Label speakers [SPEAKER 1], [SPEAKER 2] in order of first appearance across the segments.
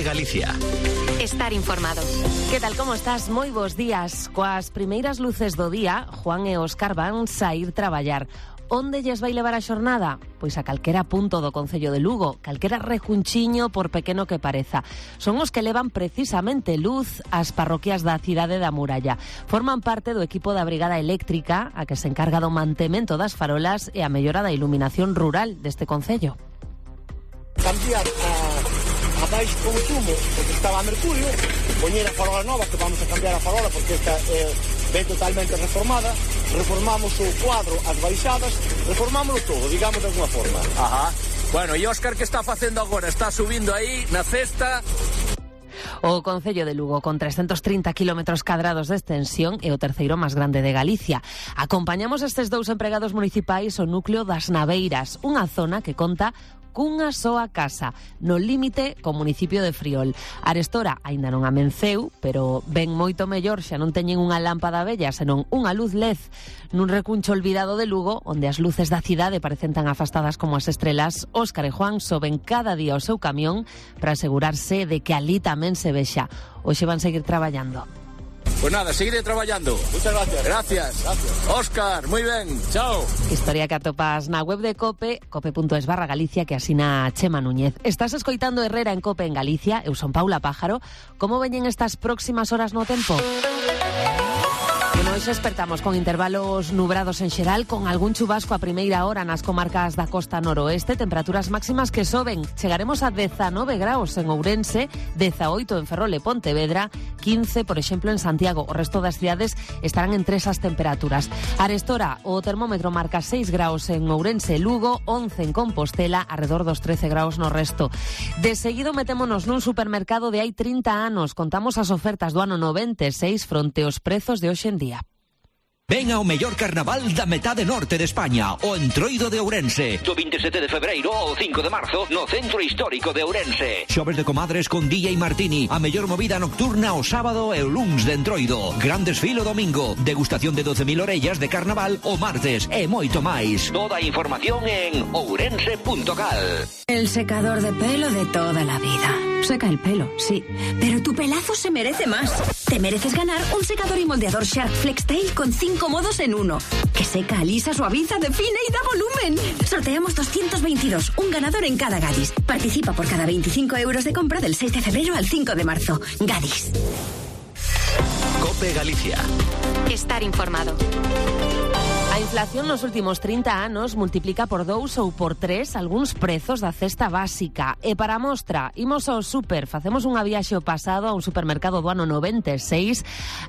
[SPEAKER 1] COPE Galicia.
[SPEAKER 2] Estar informado.
[SPEAKER 3] Que tal, como estás? Moi bons días. Coas primeiras luces do día, Juan e Óscar van saír traballar. Onde lles vai levar a xornada? Pois a calquera punto do concello de Lugo, calquera rejunchiño por pequeno que pareza. Son os que levan precisamente luz ás parroquias da cidade da Muralla. Forman parte do equipo da Brigada Eléctrica, a que se encarga do mantemento das farolas e a mellora da iluminación rural deste concello.
[SPEAKER 4] Cambiar a baixo consumo, porque estaba a mercurio, poñer a farola nova, que vamos a cambiar a farola porque esta ven totalmente reformada, reformamos o cuadro, as baixadas, reformámoslo todo, digamos de alguna forma.
[SPEAKER 5] Ajá. Bueno, e Óscar, que está facendo agora? Está subindo aí na cesta.
[SPEAKER 3] O concello de Lugo, con 330 km cadrados de extensión, é o terceiro máis grande de Galicia. Acompañamos estes dous empregados municipais ao núcleo das Naveiras, unha zona que conta cunha soa casa, no límite co municipio de Friol. Arestora aínda non amenceu, pero ben moito mellor, xa non teñen unha lámpada bella, senón unha luz LED nun recuncho olvidado de Lugo, onde as luces da cidade parecen tan afastadas como as estrelas. Óscar e Juan soben cada día o seu camión para asegurarse de que ali tamén se vexa. Hoxe van seguir traballando.
[SPEAKER 5] Pues nada, seguiré traballando.
[SPEAKER 4] Muchas gracias.
[SPEAKER 5] Gracias. Óscar, moi ben. Chao.
[SPEAKER 3] Historia que atopas na web de COPE, cope.es/Galicia, que asina Chema Núñez. Estás escoitando Herrera en COPE en Galicia. Eu son Paula Pájaro. Como veñen estas próximas horas no tempo? Bueno, hoxe despertamos con intervalos nubrados en xeral, con algún chubasco a primeira hora nas comarcas da costa noroeste, temperaturas máximas que soben. Chegaremos a 19 graus en Ourense, 18 en Ferrol e Pontevedra, 15, por exemplo, en Santiago. O resto das cidades estarán entre esas temperaturas. Arestora, o termómetro marca 6 graus en Ourense e Lugo, 11 en Compostela, alrededor dos 13 graus no resto. De seguido metémonos nun supermercado de hai 30 anos. Contamos as ofertas do ano 96 fronte aos prezos de hoxe en día.
[SPEAKER 6] Ven ao mellor carnaval da metade norte de España, o Entroido de Ourense. Do 27 de febreiro ao 5 de marzo, no Centro Histórico de Ourense. Xoves de comadres con DJ Martini, a mellor movida nocturna o sábado e o luns de Entroido. Gran desfile o domingo, degustación de 12.000 orellas de carnaval o martes e moito máis. Toda a información en ourense.cal.
[SPEAKER 2] El secador de pelo de toda la vida. Seca el pelo, sí, pero tu pelazo se merece más. Te mereces ganar un secador y moldeador Shark FlexTail con 5 modos en uno. Que seca, alisa, suaviza, define y da volumen. Sorteamos 222, un ganador en cada Gadis. Participa por cada 25 euros de compra del 6 de febrero al 5 de marzo. Gadis.
[SPEAKER 1] COPE Galicia.
[SPEAKER 2] Estar informado.
[SPEAKER 3] A inflación nos últimos 30 anos multiplica por 2 ou por 3 algúns prezos da cesta básica. E para mostra, imos ao super, facemos unha viaxe ao pasado a un supermercado do ano 96,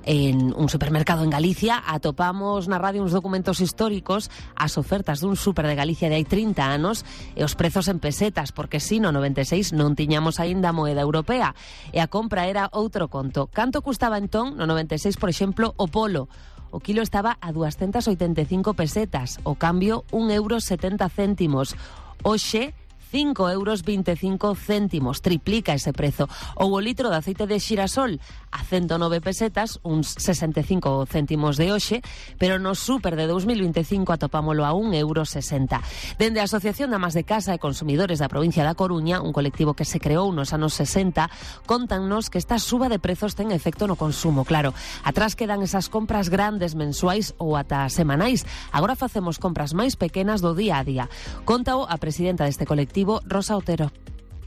[SPEAKER 3] en un supermercado en Galicia, atopamos na radio uns documentos históricos, as ofertas dun super de Galicia de hai 30 anos e os prezos en pesetas, porque si no 96 non tiñamos aínda moeda europea e a compra era outro conto. Canto custaba entón no 96, por exemplo, o polo? O kilo estaba a 285 pesetas, o cambio 1,70 €. Hoxe, 5,25 €, triplica ese prezo. Ou o litro de aceite de xirasol a 109 pesetas, uns 65 céntimos de hoxe, pero no super de 2025 atopámolo a 1,60 €. Dende a Asociación de Amas de Casa e Consumidores da provincia da Coruña, un colectivo que se creou nos anos 60, contannos que esta suba de prezos ten efecto no consumo. Claro, atrás quedan esas compras grandes mensuais ou ata semanais. Agora facemos compras máis pequenas do día a día. Contao a presidenta deste colectivo, Rosa Otero.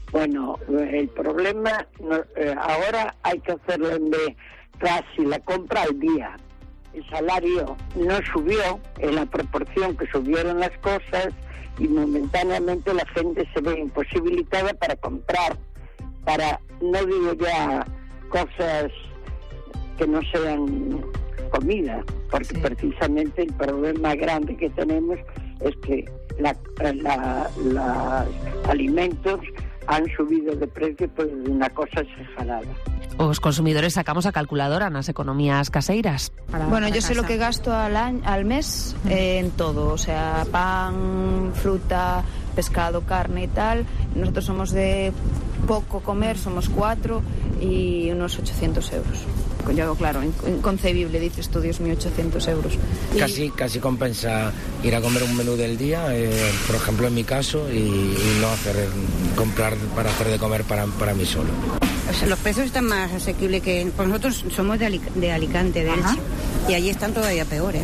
[SPEAKER 7] Bueno, el problema ahora hay que hacerlo de casi la compra al día. El salario no subió en la proporción que subieron las cosas y momentáneamente la gente se ve imposibilitada para comprar, para, no digo ya cosas que no sean comida, porque precisamente el problema grande que tenemos es que los alimentos han subido de precio por una cosa exagerada.
[SPEAKER 3] Os consumidores sacamos a calculadora nas economías caseiras.
[SPEAKER 8] Bueno, yo sé lo que gasto al mes en todo, o sea, pan, fruta, pescado, carne y tal. Nosotros somos de poco comer, somos 4 y unos 800 euros. claro, inconcebible, dices tú, Dios mío, 800 euros.
[SPEAKER 1] Casi compensa ir a comer un menú del día, por ejemplo en mi caso, y no comprar para hacer de comer para mí solo.
[SPEAKER 9] O sea, los precios están más asequibles que... Pues nosotros somos de Alicante, de Elche, y allí están todavía peores.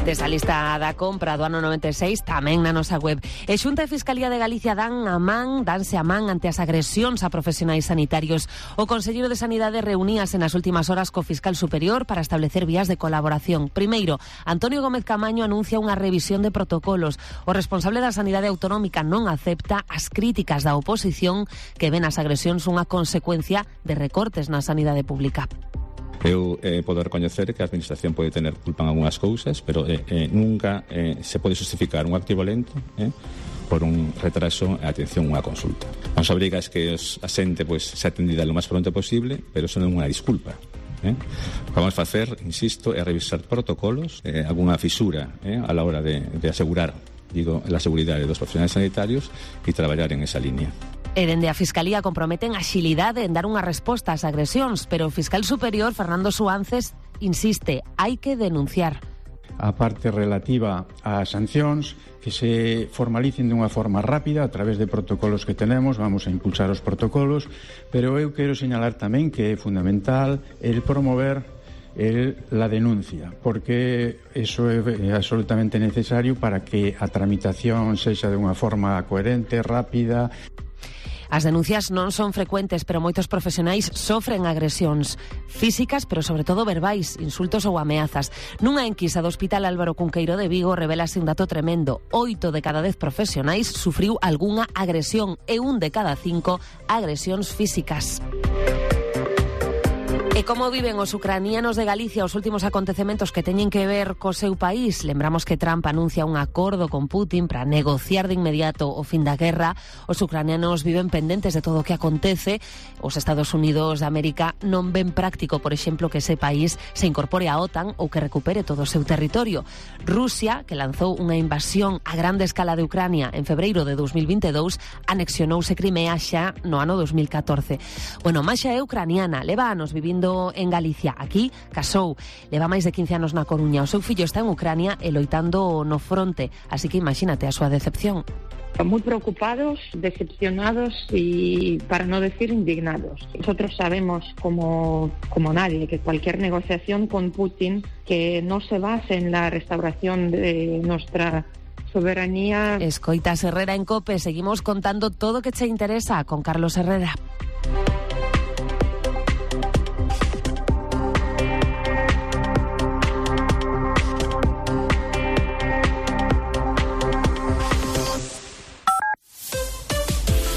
[SPEAKER 3] Desta lista da compra do ano 96 tamén na nosa web. E Xunta e Fiscalía de Galicia danse a man ante as agresións a profesionais sanitarios. O Conselleiro de Sanidade reuníase nas últimas horas co Fiscal Superior para establecer vías de colaboración. Primeiro, Antonio Gómez Camaño anuncia unha revisión de protocolos. O responsable da Sanidade Autonómica non acepta as críticas da oposición que ven as agresións unha consecuencia de recortes na sanidade pública.
[SPEAKER 10] Eu podo recoñecer que a Administración pode tener culpa en algunhas cousas, pero nunca se pode justificar un acto violento por un retraso en atención a unha consulta. Nos obriga es que a xente se atendida lo máis pronto posible, pero eso non é unha disculpa. Vamos a facer, insisto, é revisar protocolos, algunha fisura a la hora de asegurar, a seguridade dos profesionais sanitarios e traballar en esa línea.
[SPEAKER 3] E dende a Fiscalía comprometen axilidade en dar unha resposta ás agresións, pero o Fiscal Superior, Fernando Suances, insiste, hai que denunciar.
[SPEAKER 11] A parte relativa ás sancións, que se formalicen dunha forma rápida a través de protocolos que tenemos, vamos a impulsar os protocolos, pero eu quero señalar tamén que é fundamental el promover la denuncia, porque eso é absolutamente necesario para que a tramitación sexa de unha forma coherente, rápida.
[SPEAKER 3] As denuncias non son frecuentes, pero moitos profesionais sofren agresións físicas, pero sobre todo verbais, insultos ou ameazas. Nunha enquisa do Hospital Álvaro Cunqueiro de Vigo revelase un dato tremendo. 8 de cada 10 profesionais sufriu algunha agresión e 1 de cada 5 agresións físicas. E como viven os ucranianos de Galicia os últimos acontecementos que teñen que ver co seu país? Lembramos que Trump anuncia un acordo con Putin para negociar de inmediato o fin da guerra. Os ucranianos viven pendentes de todo o que acontece. Os Estados Unidos de América non ven práctico, por exemplo, que ese país se incorpore á OTAN ou que recupere todo o seu territorio. Rusia, que lanzou unha invasión a grande escala de Ucrania en febreiro de 2022, anexionouse Crimea xa no ano 2014. Bueno, Masha é ucraniana, leva anos vivindo en Galicia. Aquí casou, leva máis de 15 anos na Coruña. O seu fillo está en Ucrania e loitando no fronte, así que imagínate a súa decepción.
[SPEAKER 12] Muy preocupados, decepcionados y, para no decir, indignados. Nosotros sabemos, como nadie, que cualquier negociación con Putin que no se base en la restauración de nuestra soberanía...
[SPEAKER 3] Escoitas Herrera en COPE. Seguimos contando todo o que te interesa con Carlos Herrera.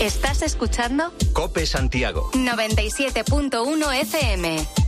[SPEAKER 13] ¿Estás escuchando?
[SPEAKER 6] COPE Santiago
[SPEAKER 13] 97.1 FM.